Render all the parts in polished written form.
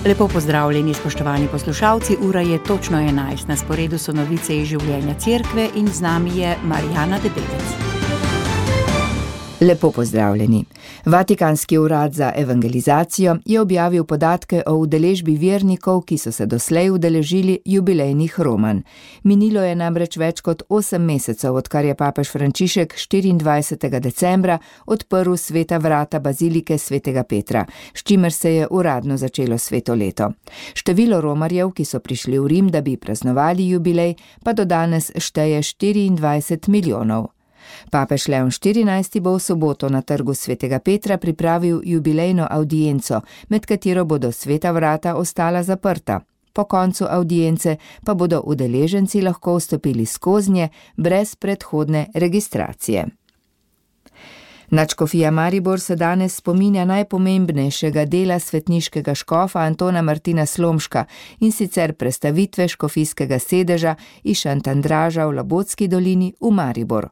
Lepo pozdravljeni, spoštovani poslušalci, ura je točno 11, na sporedu so novice iz življenja cerkve in z nami je Marijana Debelec. Lepo pozdravljeni. Vatikanski urad za evangelizacijo je objavil podatke o udeležbi vernikov, ki so se doslej udeležili jubilejnih romanj. Minilo je namreč več kot 8 mesecev, odkar je papež Frančišek 24. decembra odprl sveta vrata bazilike svetega Petra, s čimer se je uradno začelo sveto leto. Število romarjev, ki so prišli v Rim, da bi praznovali jubilej, pa do danes šteje 24 milijonov. Papež Leon XIV bo v soboto na trgu svetega Petra pripravil jubilejno avdienco, med katero bodo sveta vrata ostala zaprta. Po koncu avdience pa bodo udeleženci lahko vstopili skoznje brez predhodne registracije. Nadškofija Maribor se danes spominja najpomembnejšega dela svetniškega škofa Antona Martina Slomška, in sicer prestavitve škofijskega sedeža iz Šantandraža v Labotski dolini v Maribor.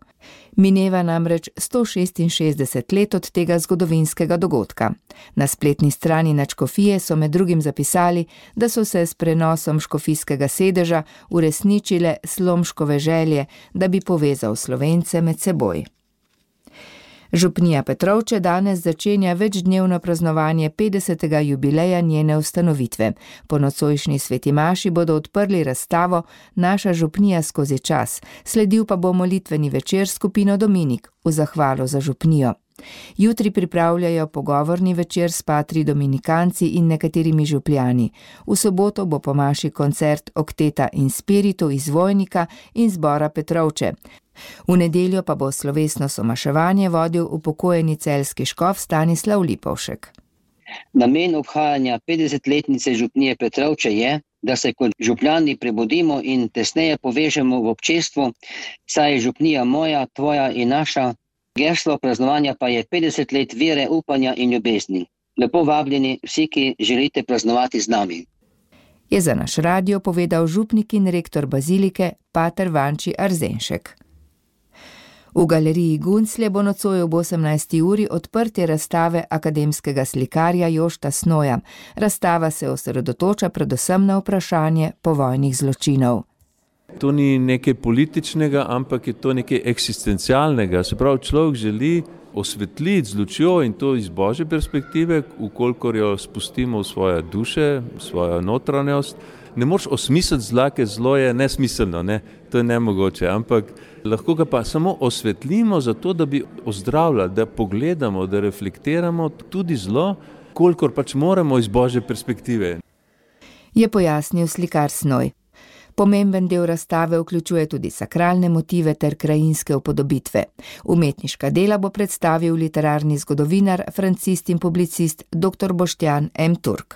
Mineva namreč 166 let od tega zgodovinskega dogodka. Na spletni strani nadškofije so med drugim zapisali, da so se s prenosom škofijskega sedeža uresničile Slomškove želje, da bi povezal Slovence med seboj. Župnija Petrovče danes začenja večdnevno praznovanje 50. jubileja njene ustanovitve. Po nocojšnji sveti maši bodo odprli razstavo Naša župnija skozi čas, sledil pa bo molitveni večer skupino Dominik v zahvalo za župnijo. Jutri pripravljajo pogovorni večer s patri dominikanci in nekaterimi župljani. V soboto bo po maši koncert Okteta in Spiritu iz Vojnika in zbora Petrovče. V nedeljo pa bo slovesno somaševanje vodil upokojeni celjski škof Stanislav Lipovšek. Namen obhajanja 50-letnice župnije Petrovče je, da se kot župljani prebudimo in tesneje povežemo v občestvu, saj je župnija moja, tvoja in naša. Geslo praznovanja pa je 50 let vere, upanja in ljubezni. Lepo vabljeni vsi, ki želite praznovati z nami. Je za naš radio povedal župnik in rektor bazilike pater Vanči Arzenšek. V galeriji Gunclje bo nocoj ob 18. uri odprtje razstave akademskega slikarja Jošta Snoja. Razstava se osredotoča predvsem na vprašanje povojnih zločinov. To ni nekaj političnega, ampak je to nekaj eksistencialnega. Se pravi, človek želi osvetliti z lučjo in to iz Božje perspektive, ukolikor jo spustimo v svoje duše, v svojo notranjost. Ne moreš osmisliti zla, ker zlo je nesmiselno, ne? To je nemogoče, ampak lahko ga pa samo osvetlimo zato, da bi ozdravljali, da pogledamo, da reflektiramo tudi zlo, kolikor pač moramo iz Božje perspektive. Je pojasnil slikar Snoj. Pomemben del razstave vključuje tudi sakralne motive ter krajinske upodobitve. Umetniška dela bo predstavil literarni zgodovinar, francist in publicist dr. Boštjan M. Turk.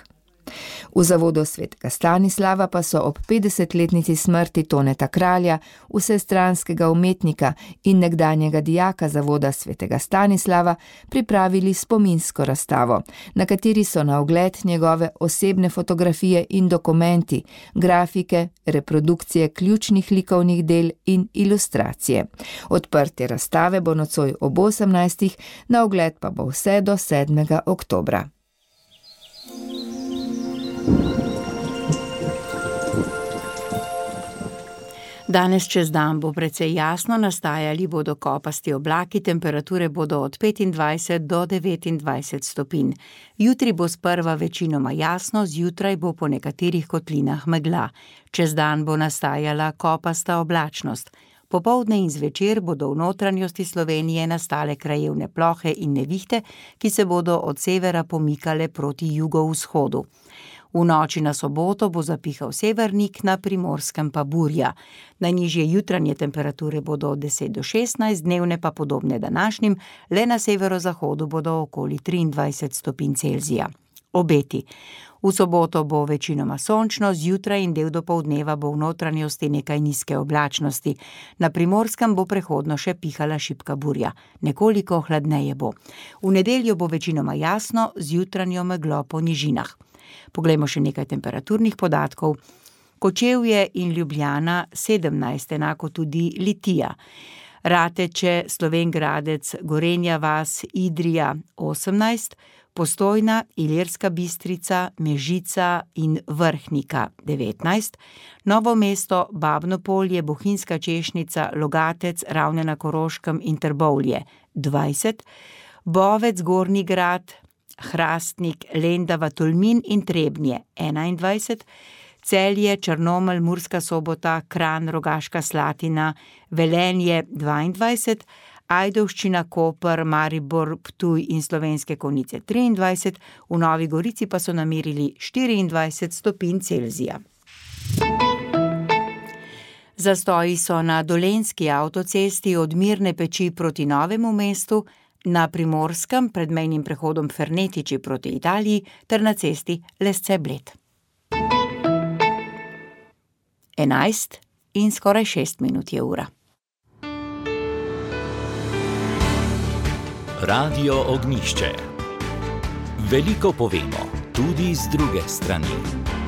V zavodu svetega Stanislava pa so ob 50-letnici smrti Toneta Kralja, vsestranskega umetnika in nekdanjega dijaka zavoda svetega Stanislava, pripravili spominsko razstavo, na kateri so na ogled njegove osebne fotografije in dokumenti, grafike, reprodukcije ključnih likovnih del in ilustracije. Odprtje razstave bo nocoj ob 18. na ogled pa bo vse do 7. oktobra. Danes čez dan bo precej jasno, nastajali bodo kopasti oblaki, temperature bodo od 25 do 29 stopinj. Jutri bo sprva večinoma jasno, zjutraj bo po nekaterih kotlinah megla. Čez dan bo nastajala kopasta oblačnost. Popoldne in zvečer bodo v notranjosti Slovenije nastale krajevne plohe in nevihte, ki se bodo od severa pomikale proti jugovzhodu. V noči na soboto bo zapihal severnik, na Primorskem pa burja. Najnižje jutranje temperature bodo od 10 do 16, dnevne pa podobne današnjim, le na severozahodu bodo okoli 23 stopinj Celzija. Obeti. V soboto bo večinoma sončno, zjutraj in del dopoldneva bo v notranjosti nekaj nizke oblačnosti. Na Primorskem bo prehodno še pihala šibka burja. Nekoliko hladneje bo. V nedeljo bo večinoma jasno, z jutranjo meglo po nižinah. Poglejmo še nekaj temperaturnih podatkov. Kočevje in Ljubljana 17, enako tudi Litija. Rateče, Slovenj Gradec, Gorenja vas, Idrija 18, Postojna, Ilirska Bistrica, Mežica in Vrhnika 19, Novo mesto, Babno Polje, Bohinjska Češnica, Logatec, Ravne na Koroškem in Trbovlje 20, Bovec, Gornji Grad, Hrastnik, Lendava, Tolmin in Trebnje 21, Celje, Črnomelj, Murska Sobota, Kranj, Rogaška Slatina, Velenje 22, Ajdovščina, Koper, Maribor, Ptuj in Slovenske Konjice 23, v Novi Gorici pa so namerili 24 stopinj Celzija. Zastoji so na Dolenjski avtocesti od Mirne Peči proti Novemu mestu, na Primorskem pred mejnim prehodom Fernetiči proti Italiji ter na cesti Lesce-Bled. 11 in skoraj 6 minut je ura. Radio Ognjišče. Veliko povemo, tudi z druge strani.